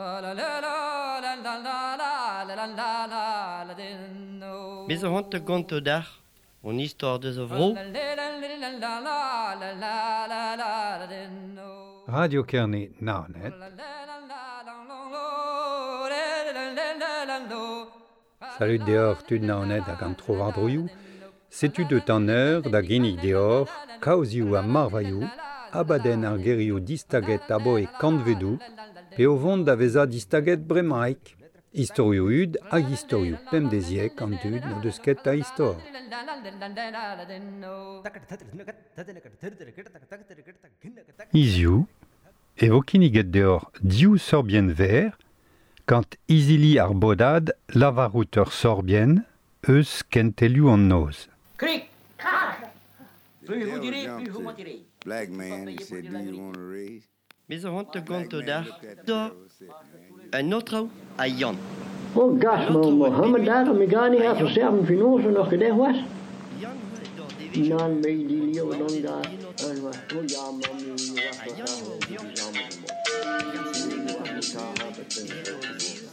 Me zo c'hoant da gontañ deoc'h hon istor deus a vro. Radio Kerne Naoned. Salud deoc'h tud Naoned hag an trowardroioù. Setu deut an eur da ginnig deoc'h kaozioù ha marvailhoù, abadenn ar gerioù distaget aboe kantvedoù, pe o vont da vezañ distaget bremaik. Istorioù hud hag istorioù pemdeziek an dud n'o deus ket a istor. Hiziv e vo kinniget deoc'h div sorbienn verr gant izili ar bodad lavarout ur sorbienn eus kentelioù an noz. Krik, krak! Plus vous direz, plus vous mentirez. Black man, he said, do you want a raise? Me zo c'hoant da Black gontañ man deoc'h looked at the da girl and said, man, un aotrou ha Yann. Oh gas, An aotrou ma a Mohamed bep daar, me ga niet ha even Yann. zelf finozen nog gedaan was. Yann eo d'ar devezhioù. Nan me die leeuw dan Maout daar. en aotrou. En was, oh ja, man, nu was Ha dat Yann eo daar, o die vihan. samen Hag ar seneget was an het daar, euzhvil dat e ben eo o zevez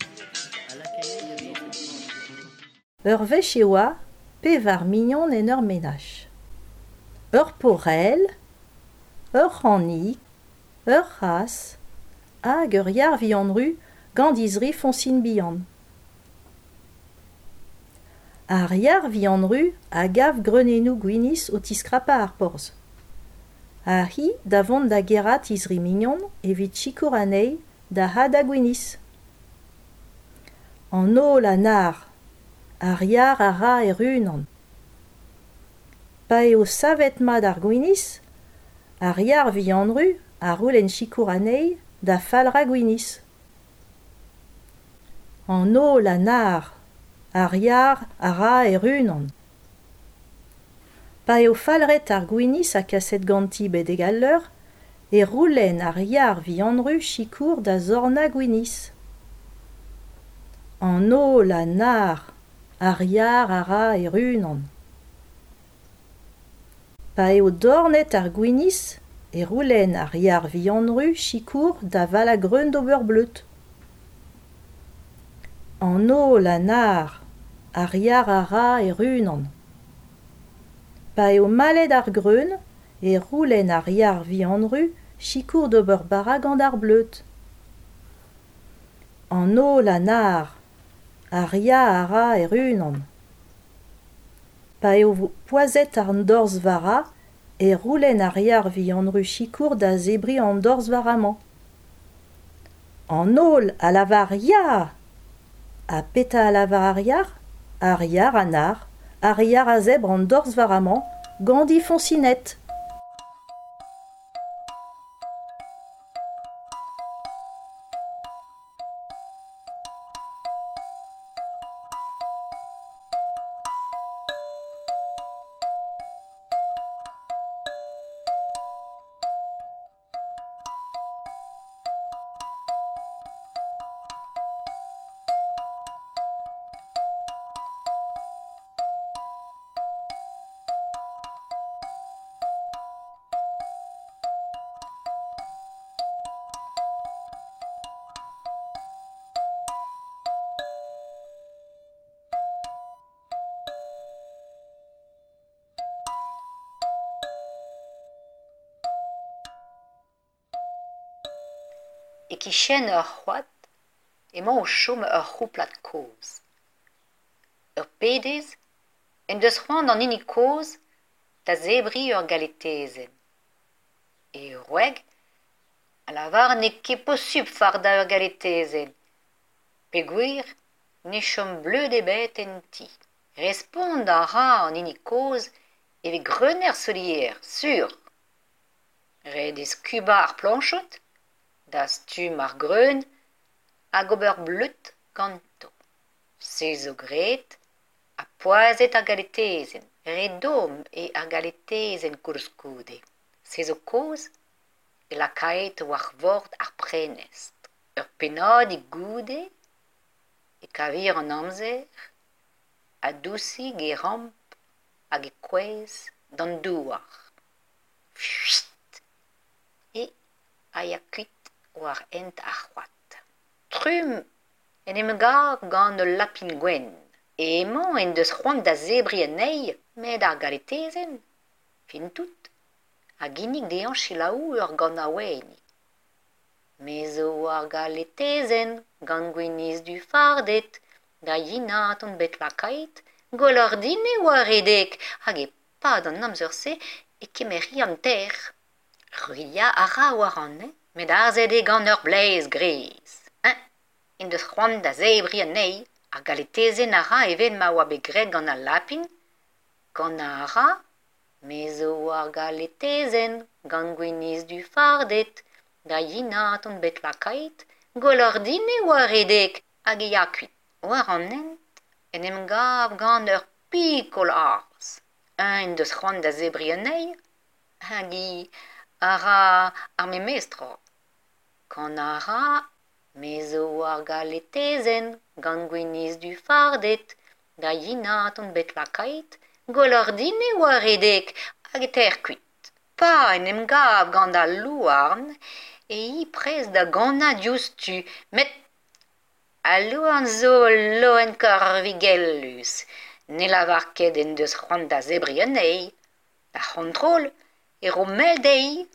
a lakae da vezañ. Ur wech e oa pevar mignon en ur menaj. Ur porell, ur c'hanig, ur c'hazh hag ur yar vihan-ru gant he zri foñsin bihan. Ar yar vihan-ru a gav greunennoù gwinizh o tiskrapañ ar porzh. Ha hi da vont da gerc'hat he zri mignon evit sikour anezhi da hadañ gwinizh. An holl a nac'h, ar yar a ra e-unan. Pa eo savet mat ar gwinizh, ar yar vihan-ru a c'houlenn sikour anezhi da falc'hañ gwinizh. An holl a nac'h, ar yar a ra e-unan. Pa eo falc'het ar gwinizh ha kaset ganti betek al leur, e c'houlenn ar yar vihan-ru sikour da zornañ gwinizh. An holl a nac'h, ar yar a ra e-unan. Pa eo dornet ar gwinizh, e c'houlenn ar yar vihan-ru sikour da valañ greun d'ober bleud. An holl a nac'h, ar yar a ra e-unan. Pa eo malet ar greun, e c'houlenn ar yar vihan-ru sikour d'ober bara gant ar bleud. An holl a nac'h, ar yar a ra e-unan. Pa eo poazhet an dorzh vara, e c'houlenn ar yar vihan-ru sikour da zebriñ an dorzh vara-mañ. An holl a lavar ya ! Ha petra a lavar ar yar ? Ar yar a nac'h, ar yar a zebr an dorzh vara-mañ gant he foñsined. E-kichen ur c'hoad emañ o chom ur c'houplad kozh. Ur pedez en deus c'hoant an hini kozh da zebriñ ur galetezenn. E wreg a lavar n'eo ket posupl fardañ ur galetezenn peogwir ne chom bleud ebet en ti. Respont a ra an hini kozh e vez greun er solier, sur. Ret eo skubañ ar plañchod, dastum ar greun hag ober bleud ganto. Se zo graet ha poazhet ar galetezenn. Re domm eo ar galetezenn koulskoude. Se zo kaoz e lakaet war vord ar prenestr. Ur pennadig goude e kavir an amzer ha dousik e ramp hag e kouezh d'an douar. Fuit ! E a ya kuit war hent ar c'hoad. Trumm en em gav gant ul lapin gwenn. Emañ en deus c'hoant da zebriñ anezhi, met ar galetezenn, fin tout, a ginnig dezhañ selaou ur ganaouennig. Me zo ar galetezenn gant gwinizh-du fardet, da yenat on bet lakaet, gwelloc'h din e oa redek hag e-pad an amzer-se e kemeri an tec'h. Ruilhañ a ra war an hent, met harzet eo gant ur bleiz gris. Eñ en deus c'hoant da zebriñ anezhi. Ar galetezenn a ra evel ma oa bet graet gant al lapin. Kanañ a ra Me zo ar galetezenn gant gwinizh-du fardet, da yenat on bet lakaet, gwelloc'h din e oa redek hag e ya kuit. War an hent en em gav gant ur pikol arzh. Eñ en deus c'hoant da zebriñ anezhi hag hi a ra ar memes tra. Kanañ a ra Me zo ar galetezenn gant gwinizh-du fardet, da yenat on bet lakaet, gwelloc'h din e oa redek hag e tec'h kuit. Pa en em gav gant al louarn e hi prest da ganañ diouzhtu, met al louarn zo ul loen korvigellus, ne lavar ket en deus c'hoant da zebriñ anezhi. D'ar c'hontrol e ro mel dezhi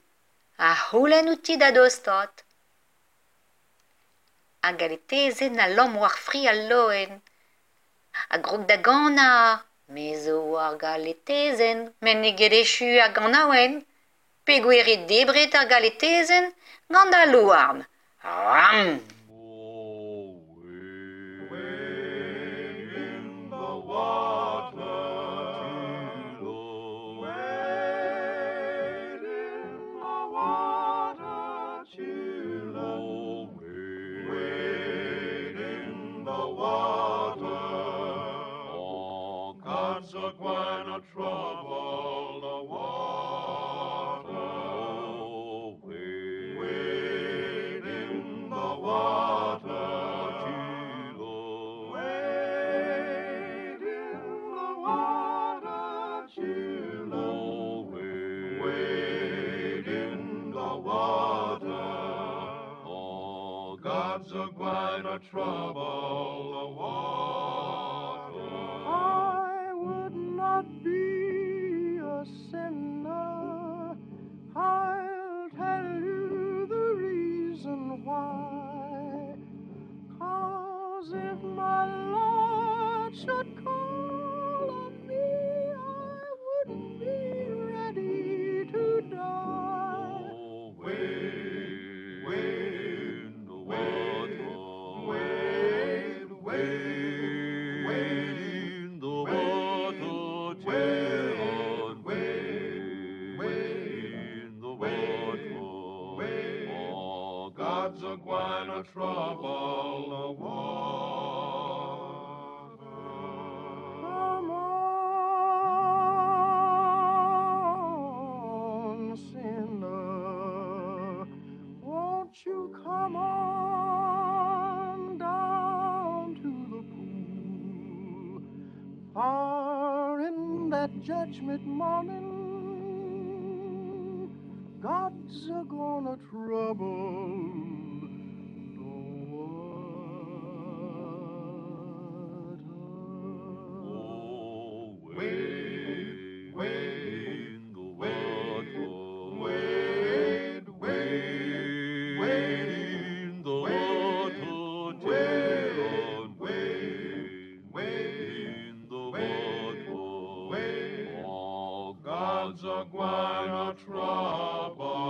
a c'houlenn outi da dostaat. Ar galetezenn a lamm war fri al loen, a grog da ganañ. Me zo ar galetezenn, met n'eo ket echu ar ganaouenn peogwir eo debret ar galetezenn gant al louarn. Ram ! Trouble the water. I would not be a sinner. I'll tell you the reason why. 'Cause if my Lord should call on me, I wouldn't be ready to die. Oh, wait, wait, wait. Wade, wade, wade in the water, children, wade, wade in the water. Oh, God's a gwine to trouble the water. Come on, sinner, won't you come on down to the pool? For in that judgment morning, God's a gonna trouble the water. Oh, wade, wade in the water, wade, wade, wade in the water, children, wade, wade in the water. Oh, God's a gwine to trouble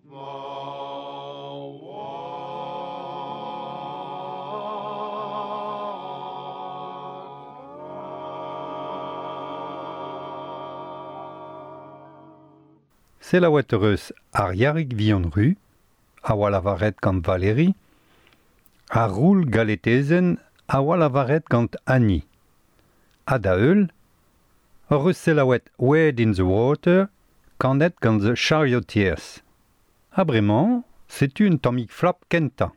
the water. Selaouet eus ar Yarig Vihan-Ru, a oa lavaret gant Valérie, ar roul galetezenn a oa lavaret gant Annie. Ha da heul, hor eus selaouet Wade in the Water, kanet gant The Charioteers. Ha bremañ, setu un tammig flap kentañ.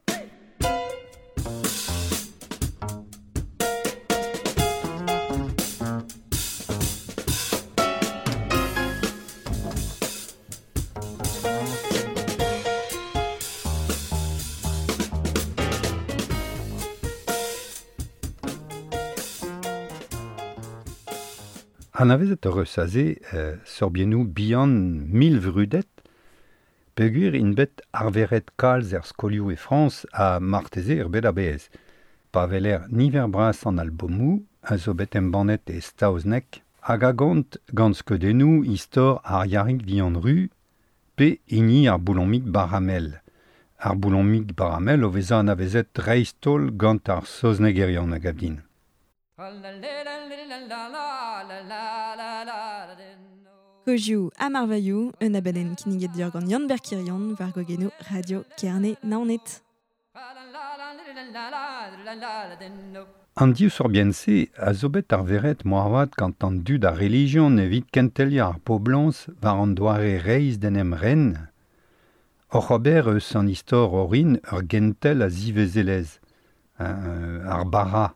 Anavezet ur eus aze sorbiennoù bihan mil vrudet, peogwir int bet arveret kalz er skolioù e Frañs ha marteze er bed a-bezh. Pa weler niver bras an albomoù a zo bet embannet e saozneg hag a gont gant skeudennoù istor ar Yarig Vihan-Ru pe hini ar boulomig Baramel. Ar boulomig Baramel o vezañ anavezet dreist-holl gant ar saoznegerion a gav din. Kozioù ha marvailhoù, un abadenn kinniget deoc'h gant Yann-Ber Quirion war gwagennoù Radio Kerne Naoned. An div sorbienn-se a zo bet arveret moarvat gant an dud a relijion evit kenteliañ ar poblañs war an doare reizh d'en em ren, oc'h ober eus an istor orin ur gentel a zivezelezh, ar bara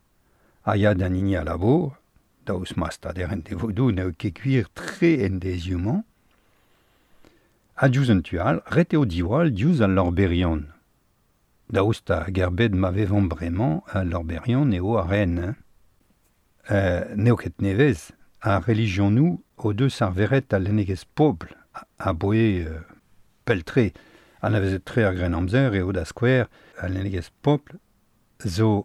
a ya d'an hini a labour, daoust ma stader en devodoù n'eo ket gwir tre en deizioù-mañ, ha diouzh un tu all, ret eo diwall diouzh al lorberion. Daoust hag er bed ma vevomp bremañ, al lorberion eo ar ren. Hein. N'eo ket nevez, ar relijionoù o deus arveret al lennegezh pobl a boe pell-tre. Anavezet-tre ar Grennamzer eo da skouer al lennegezh pobl zo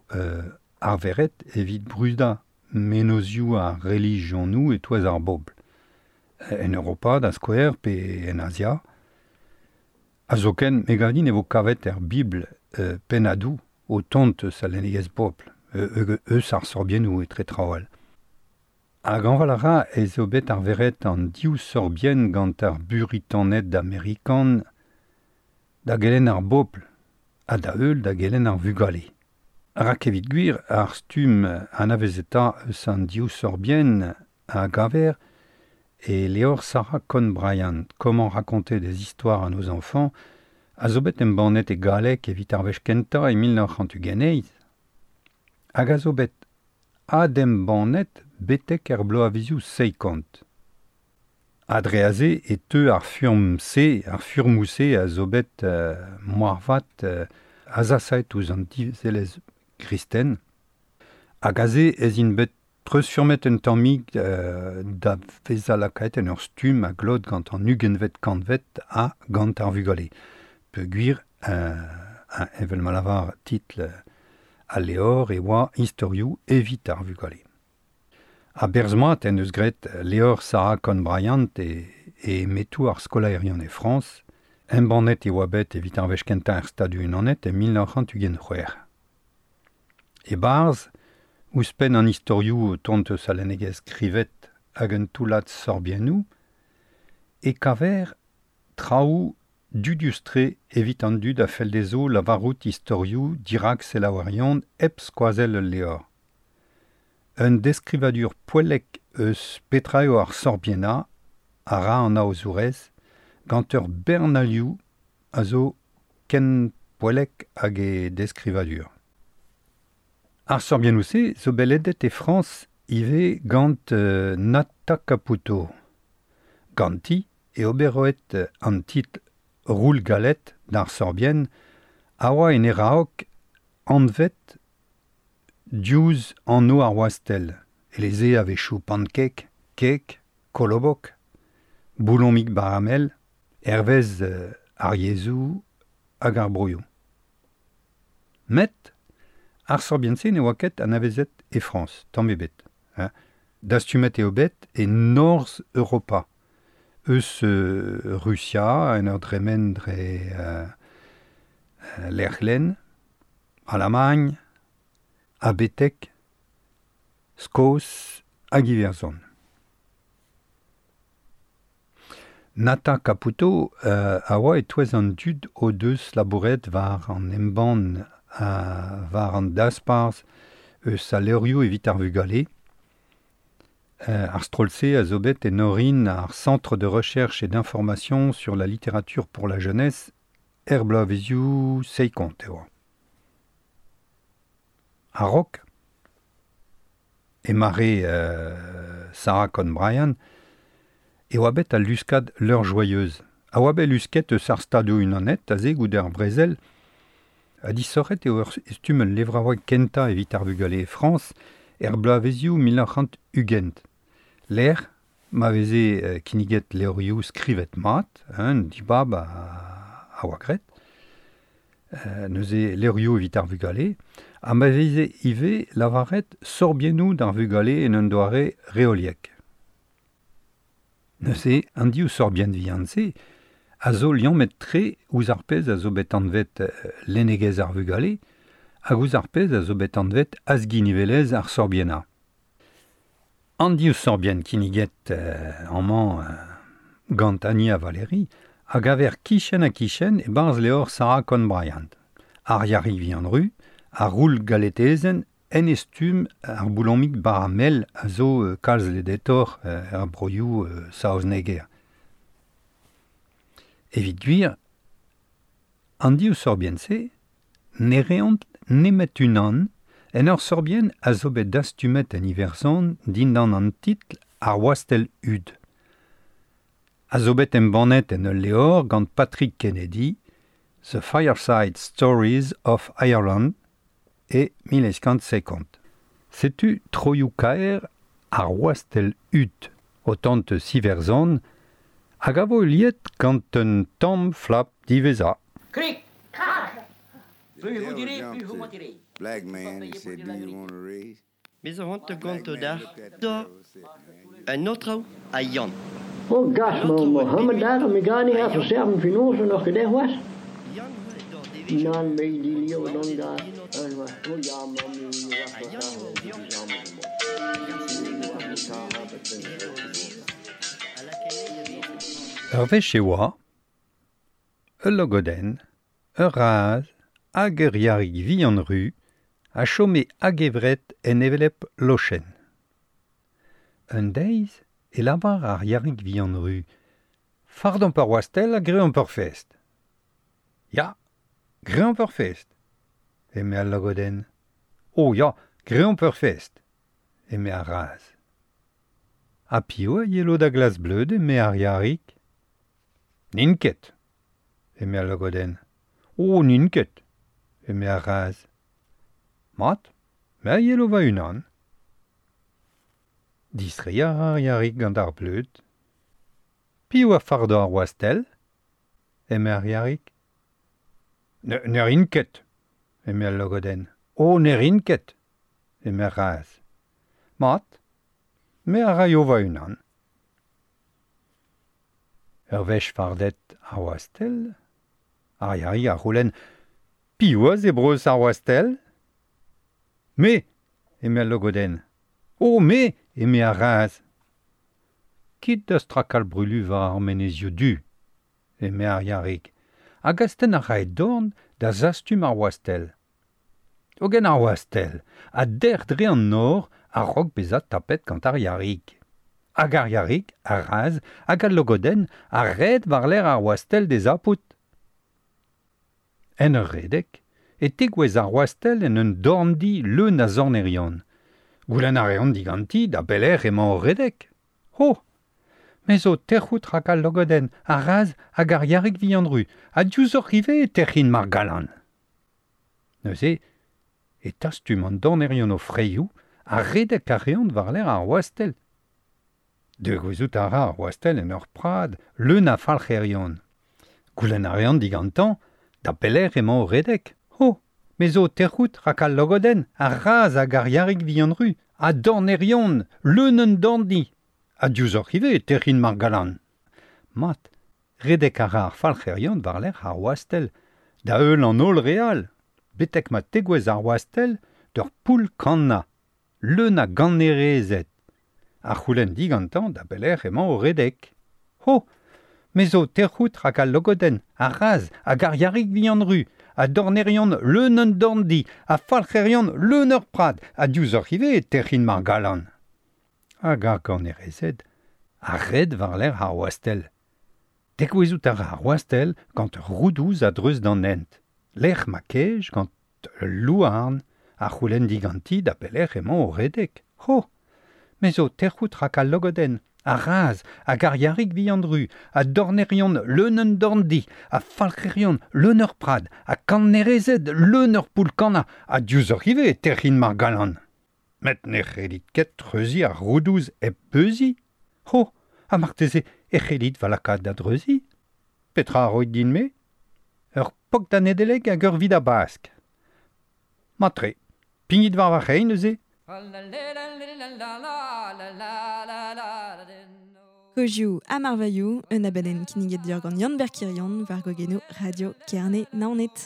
arveret evit brudañ menozioù ar relijionoù e-touez ar bobl. En Europa da skouer pe en Azia. Ha zoken, me gav din e vo kavet er Bibl pennadoù o tont eus al lennegezh pobl, eus ar sorbiennoù etre traoù all. Hag añval a ra ez eo bet arveret an div sorbienn gant ar Buritaned amerikan da gelenn ar bobl ha da heul da gelenn ar vugale. Rak evit gwir ar stumm anavezetañ eus an div sorbienn a gaver e levr Sarah Cohn-Bryant, Comment raconter des histoires à nos enfants, a zo bet embannet e galleg evit ar wech kentañ e 1928, hag a zo bet adembannet betek er bloavezioù seikont. Ha dre aze e teu ar furm-se, ar furmoù-se a zo bet moarvat azasaet ouzh an divezelezh kristen, hag aze ez int bet treuzfurmet un tammig da vezañ lakaet en ur stumm a glot gant an ugentvet kantved ha gant ar vugale. Peogwir, evel ma lavar titl al levr e oa istorioù evit ar vugale. Ha berzh-mat en deus graet levr Sarah Cohn-Bryant e metoù ar skolaerion e Frañs, embannet e oa bet evit ar wech kentañ er Stadoù-Unanet e 1926. E-barzh, ouzhpenn an istorioù o tont eus al lennegezh skrivet hag un toullad sorbiennoù, e kaver traoù dudius-tre evit an dud a fell dezho lavarout istorioù dirak selaouerion hep skoazell ul levr. Un deskrivadur poellek eus petra eo ar sorbiennañ a ra an aozourez gant ur bern alioù a zo ken poellek hag e deskrivadur. Ar sorbiennoù-se zo bet ledet e Frañs ivez gant Nata Caputo. Ganti e oberoet an titl Roul galet d'ar sorbienn a oa en e raok anvet diouzh anv ar wastell, eleze a-wechoù pancake, kek, kolobok, boulomig baramel, hervez ar yezhoù hag ar broioù. Met ar sorbienn-se ne oa ket anavezet e Frañs, tamm ebet. Hein. Dastumet eo bet e Norzh Europa, eus Rusia, en ur dremen dre Lec'hlenn, Alamagn, ha betek Skos hag Iwerzhon. Nata Caputo a oa e-touez an dud o deus labouret war an embann war an dasparzh eus al levrioù evit ar vugale. Ar stroll-se a zo bet en orin ar Centre de recherche et d'information sur la littérature pour la jeunesse er bloavezioù seikont e oa. A-raok, e mare Sarah Cohn-Bryant, e oa bet al luskad L'Heure Joyeuse. A oa bet lusket eus ar Stadoù-Unanet aze goude ar brezel, ha disoc'het eo ur stumm ul levraoueg kentañ evit ar vugale e Frañs er bloavezioù 1920. Lec'h Ma veze kinniget levrioù skrivet mat, un dibab a oa graet, neuze levrioù evit ar vugale, ha ma veze ivez lavaret sorbiennoù d'ar vugale en un doare reoliek. Neuze, an div sorbienn vihan-se a zo liammet tre ouzh ar pezh a zo bet anvet lennegezh ar vugale hag ouzh ar pezh a zo bet anvet azginivelezh ar sorbiennañ. An div sorbienn kinniget amañ gant Annie ha Valérie a gaver kichen ha kichen e-barzh levr Sarah Cohn-Bryant. Ar Yarig vihan ru, ar roul galetezenn en e stumm ar boulomig baramel a zo kalz ledetor er broioù saozneger. Evit gwir, an div sorbienn-se ne reont nemet unan en ur sorbienn a zo bet dastumet en Iwerzhon dindan an titl ar wastell hud. A zo bet embannet en ul levr gant Patrick Kennedy, The Fireside Stories of Ireland e 1950. Setu troioù kaer ar wastell hud, o tant eus Iwerzhon, hag a vo liet gant un tamm flap diwezhañ. Krik, krak. Plus vous direz, plus vous mentirez. Black man, he said, do you want a raise? Me zo c'hoant gonto d'ar da un autre a Yann. Oh, gas, ma Mohammed daar, mi gani ha verserven finoze nog gedeg was. Nan, me die leo dan daar. En was, oh ja, man, mi Ur wech e oa, ul logodenn, ur raz, hag ur yarig vihan ru, a chome hag-evret en hevelep lochenn. Un deiz e lavar ar yarig vihan ru, fardomp ur wastell ha greomp ur fest. Ya, greomp ur fest, eme al logodenn. Oh ya, greomp ur fest, eme ar raz. Ha piv a yelo da glas bleud, eme ar yarig. N'in ket, eme al logodenn. Oh, n'in ket, eme ar raz. Mat, me a yelo va unan. Distreiñ a ra ar yarig gant ar bleud. Piv a fardo ar wastell, eme ar yarig. Ne rin ket, eme al logodenn. Oh, ne rin ket, eme ar raz. Mat, me a raio va unan. Ur wech fardet ar wastell, ar yarig a c'houlenn piv a zebreus ar wastell? Me, eme al logodenn. Oh, me, eme ar raz. Kit da strakal brulu war ar menezioù du, eme ar yarig, hag astenn a rae dorn da zastum ar wastell. Hogen ar wastell, a derc'h dre an nor a-raok bezañ tapet gant ar yarig. Hag ar yarig, ar raz, hag al logodenn a red war-lerc'h ar wastell d'he zapout. En ur redek, e tegouezh ar wastell en un dorndi leun a zornerion. Goulenn a reont diganti da belec'h emañ o redek. Ho! Me zo tec'hout rak al logodenn, ar raz hag ar yarig vihan ru, ha diouzhoc'h ivez e tec'hin mar gallan. Neuze, e tastum an dornerion o freioù ha redek a reont war-lerc'h ar wastell. Degouezhout a ra ar wastell en ur prad leun a falc'herion. Goulenn a reont digantañ da pelec'h emañ o redek. Ho! Me zo tec'hout rak al logodenn, ar raz hag ar yarig vihan ru, ha dornerion, leun un dorndi. Ha diouzhoc'h ivez e tec'hin mar gallan. Mat, redek a ra ar falc'herion war-lerc'h ar wastell, da heul an holl re all, betek ma tegouezh ar wastell d'ur poull kannañ, leun a gannerezed. A c'houlenn digantañ da belec'h emañ o redek. Ho! Me zo tec'hout rak al logodenn, ar raz hag ar yarig vihan ru, ha dornerion leun un dorndi, ha falc'herion leun ur prad, ha diouzhoc'h ivez e tec'hin mar gallan. Hag ar gannerezed a red war-lerc'h ar wastell. Degouezhout a ra ar wastell gant ur roudouz a-dreuz d'an hent. Lec'h ma kej gant ul louarn a c'houlenn diganti da belec'h emañ o redek. Ho! Me zo tec'hout rak al logodenn, ar raz hag ar yarig vihan ru, ha dornerion leun un dorndi, ha falc'herion leun ur prad, ha kannerezed leun ur poull kannañ, ha diouzhoc'h ivez e tec'hin mar gallan. Met ne c'hellit ket treuziñ ar roudouz hep beuziñ. Ho! Ha marteze e c'hellit va lakaat da dreuzi. Petra a roit din-me? Ur pok da Nedeleg hag ur vid a bask. Matre, pignit war va c'hein neuze. Kozioù ha marvailhoù, un abadenn kinniget deoc'h gant Yann Berkirion war gogenoù Radio Kerne Naoned.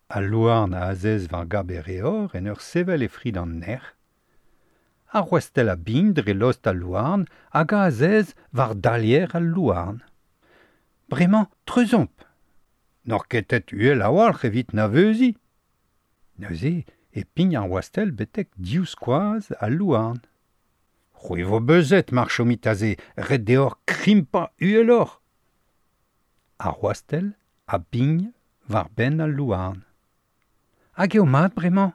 Al louarn a azez war gab e reor en ur sevel e fri d'an nec'h. Ar wastell a bign dre lost al louarn hag a azez war dalier al louarn. Bremañ, treuzomp. N'oc'h ket uhel a-walc'h evit na veuzi. Neuze e pign ar wastell betek div skoaz al louarn. C'hwi vo beuzet mar chomit aze, ret deoc'h krimpañ uheloc'h. Ar wastell a bign war benn al louarn. Hag eo mat bremañ?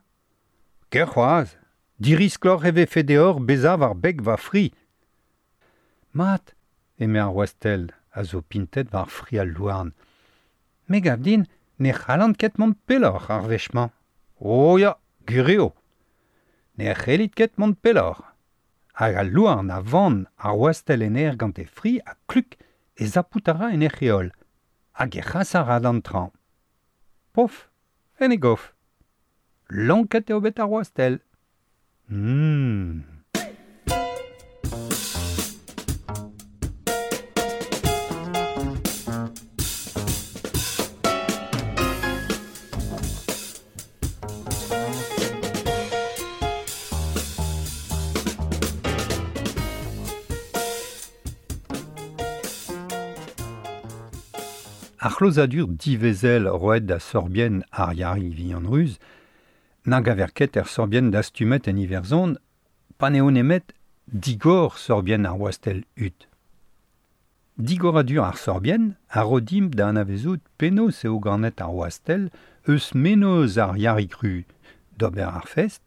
Ker c'hoazh, diriskloc'h e vefe deoc'h bezañ war beg va fri. Mat, eme ar wastell a zo pintet war fri al louarn. Me gav din ne c'hallan ket mont pelloc'h ar wech-mañ. Oh ya, gwir eo. Ne c'hellit ket mont pelloc'h. Hag al louarn a vann ar wastell en aer gant e fri ha kluk e zapout a ra en hec'h heol. Hag e c'has a ra d'an traoñ. Pof, en e gof. Lonket eo bet ar wastell. Ar c'hlozadur divezel roet da sorbienn ar Yari Vihan-Ruz nag a ver ket er sorbienn dastumet en Iwerzhon pa n'eo nemet digor sorbienn ar wastell hud. Digoradur ar sorbienn a ro dimp da anavezout penaos eo ganet ar wastell eus menoz ar Yari Cru d'ober ar fest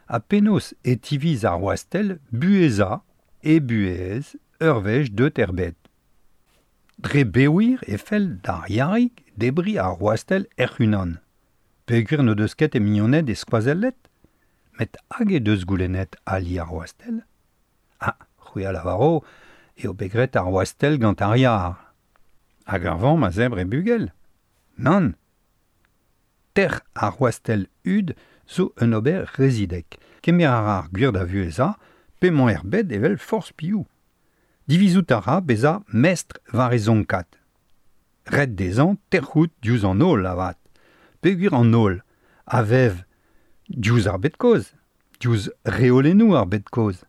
ha penaos e tiviz ar wastell buhezañ e buhez ur wech deut er bed. Dre bewir e fell d'ar Yarig debriñ ar wastell hec'h-unan. Peogwir n'o deus ket e mignoned e skoazellet, met hag e deus goulennet ali ar wastell. Ah, c'hwi a lavaro eo bet graet ar wastell gant ar yar. Hag ar vamm a zebr e bugel. Nann. Tec'h ar wastell hud zo un ober rezidek. Kemer a ra ar gwir da vuhezañ p'emañ er bed evel forzh piv. Divizout a ra bezañ mestr war e zonkad. Ret dezhañ tec'hout diouzh an holl avat. Peogwir an holl a vev diouzh ar bed kozh, diouzh reolennoù ar bed kozh.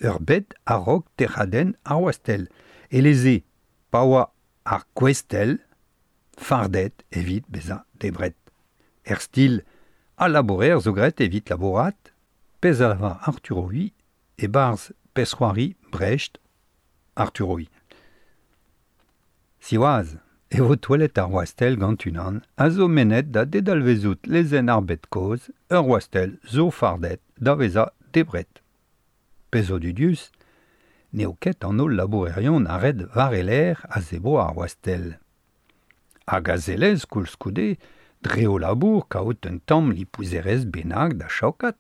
Ur bed a-raok tec'hadenn ar wastell. Eleze pa oa ar gwestell fardet evit bezañ debret. Er stil al labourer zo graet evit labourat, pezh a lavar Arthur Hui e-barzh pezh-c'hoari Brecht Arthur Hui. Siwazh, e vo touellet ar wastell gant unan a zo mennet da dedalvezout lezenn ar bed kozh ur wastell zo fardet da vezañ debret. Pezh zo dudius, n'eo ket an holl labourerion a red war e lerc'h a zebro ar wastell. Hag a zelez koulskoude dre o labour kaout un tamm lipouzerezh bennak da chaokat.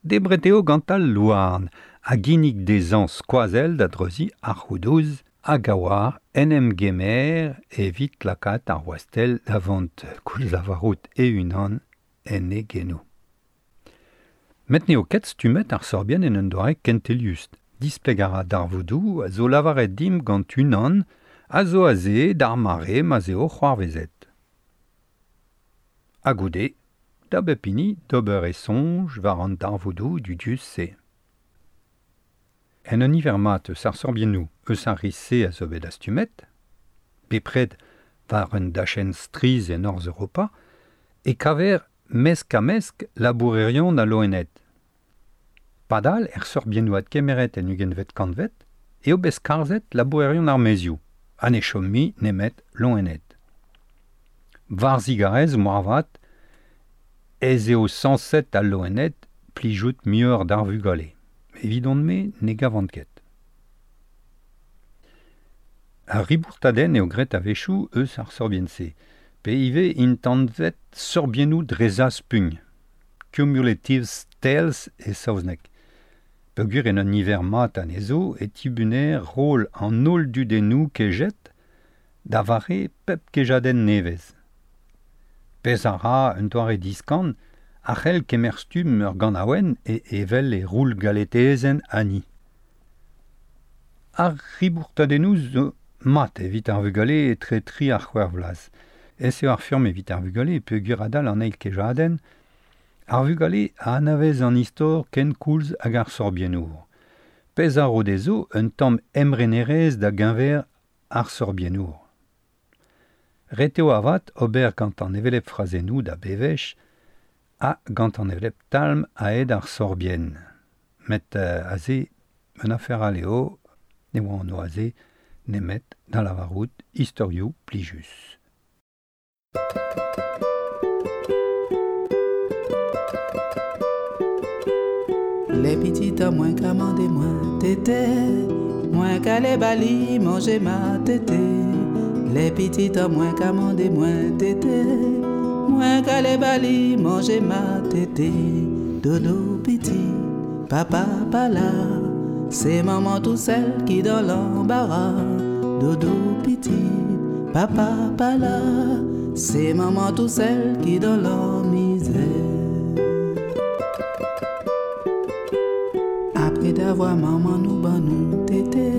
Debret eo gant al louarn a ginnig dezhañ skoazell da dreuziñ ar roudouz hag a oar en em gemer evit lakaat ar wastell da vont koulz lavarout e-unan en e genoù. Met n'eo ket stummet ar sorbienn en un doare kentelius. Displeg a ra darvoudoù a zo lavaret dimp gant unan a zo aze d'ar mare ma'z eo c'hoarvezet. Ha goude, da bep hini d'ober e soñj war an darvoudoù dudius-se. En un niver mat eus ar sorbiennoù eus ar riz-se a zo bet dastumet, bepred war un dachenn strizh en Norzh Europa, e kaver mesk-ha-mesk labourerion ha loened. Padal er sorbiennoù adkemeret en ugentvet kantved eo bet skarzhet labourerion ar maezioù, ha ne chom mui nemet loened. War zigarez moarvat ez eo sañset al loened plijout muioc'h d'ar vugale. Evidon-me ne gavan ket. Ar ribourtadenn eo graet a-wechoù eus ar sorbienn-se, pe ivez int anvet sorbiennoù dre zaspugn, cumulative tales e saozneg. Peogwir en un niver mat anezho e tibuner roll an holl dudennoù kejet da vare pep kejadenn nevez. Pezh a ra un doare diskan a c'hell kemer stumm ur ganaouenn e evel e roul galetezenn Annie. Ar ribourtadennoù zo mat evit ar vugale etre tri ha c'hwec'h vloaz. Ez eo ar furm evit ar vugale peogwir adal an eil kejadenn, ar vugale a anavez an istor kenkoulz hag ar sorbiennour. Pezh a ro dezho un tamm emrenerezh da geñver ar sorbiennour. Ret eo avat ober gant an hevelep frazennoù da bewech ha gant an hevelep talm aet ar sorbienn. Met aze, un afer all eo, ne oa an aze nemet da lavarout istorioù plijus. Les petites moins qu'à mander moins tété, moins qu'à les bali manger ma tété. Les petites moins qu'à mander moins tété, moins qu'à les bali manger ma tété. Dodo petit, papa pas là, c'est maman tout seul qui dans l'embarras. Dodo petit, papa pas là, c'est maman tout seul qui dans la misère. Après d'avoir maman nous ban nous tété,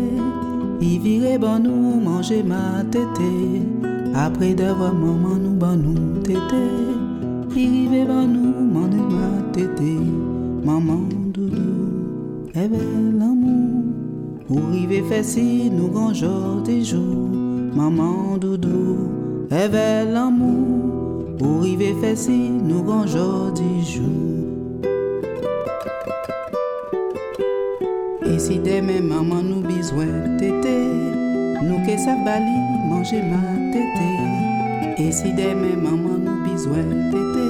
il virait ban nous manger ma tété. Après d'avoir maman nous ban nous tété, il vivait ban nous manger ma tété. Maman doudou, eh ben l'amour, où rive fait si nous grand jour des jours. Maman doudou, eh ben l'amour, où rive fait si nous grand jour des jours. Et si demain maman nous besoin tété, nous que ça bali manger ma tété. Et si demain maman nous besoin tété,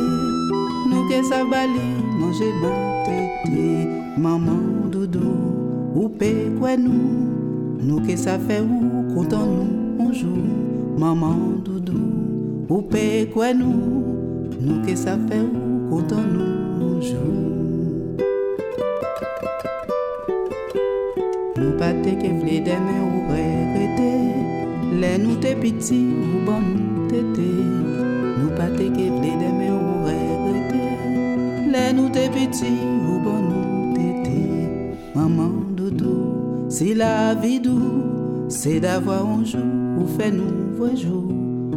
nous que ça bali manger ma tété. Maman doudou, ou pe quoi nous, nous que ça fait ou content nous un jour. Maman doudou, ou pe quoi nous, nous que ça fait ou content nous un jour. Nous pas te que vle demain ou regretter, les nous te petit ou bon nous tété. Nous pas te que vle demain ou regretter, les nous te petit ou bon nous tété. Maman doudou, si la vie doux, c'est d'avoir un jour ou fait nous voir jour.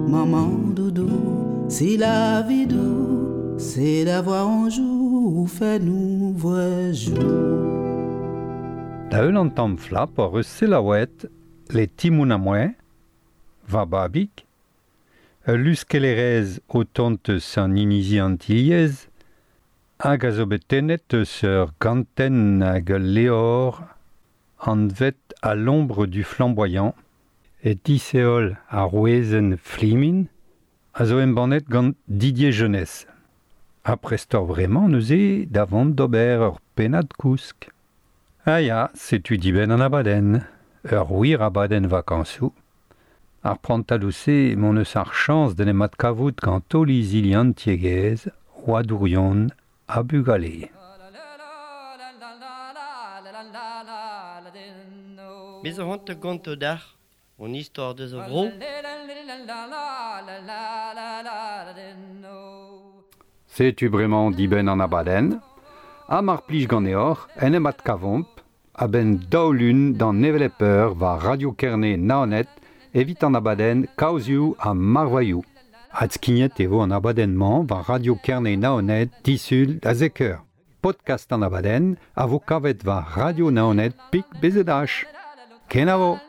Maman doudou, si la vie doux, c'est d'avoir un jour ou fait nous voir jour. Da heul an tamm flap ur eus selaouet le timoun a moe, va babik, ul luskellerez o tont eus an inizi antilhez, hag a zo bet tennet eus ur gantenn hag ul leor anvet à l'ombre du flamboyant, e diseol ar rouezenn flimin, a zo embannet gant Didier Jeunesse. A prestor bremañ neuze davant d'ober ur pennad kousk. Ah ya, setu dibenn an abadenn, ur wir abadenn vakañsoù. Ar prantadoù-se m'hon eus ar chañs d'en em adkavout gant holl izili an tiegezh, oadourion ha bugale. Bez a c'hoant ganto dac'h, on istor deus a vro. Setu bremañ dibenn an abadenn, ha mar plij ganeoc'h en em adkavomp a-benn daou-lun d'an hevelep eur war Radio Kerne Naoned evit an abadenn Kaozioù ha Marvailhoù. Adskignet e vo an abadenn-mañ war Radio Kerne Naoned disul da zek eur. Podcast an abadenn a vo kavet war Radio Naoned pik BZH. Kenavo!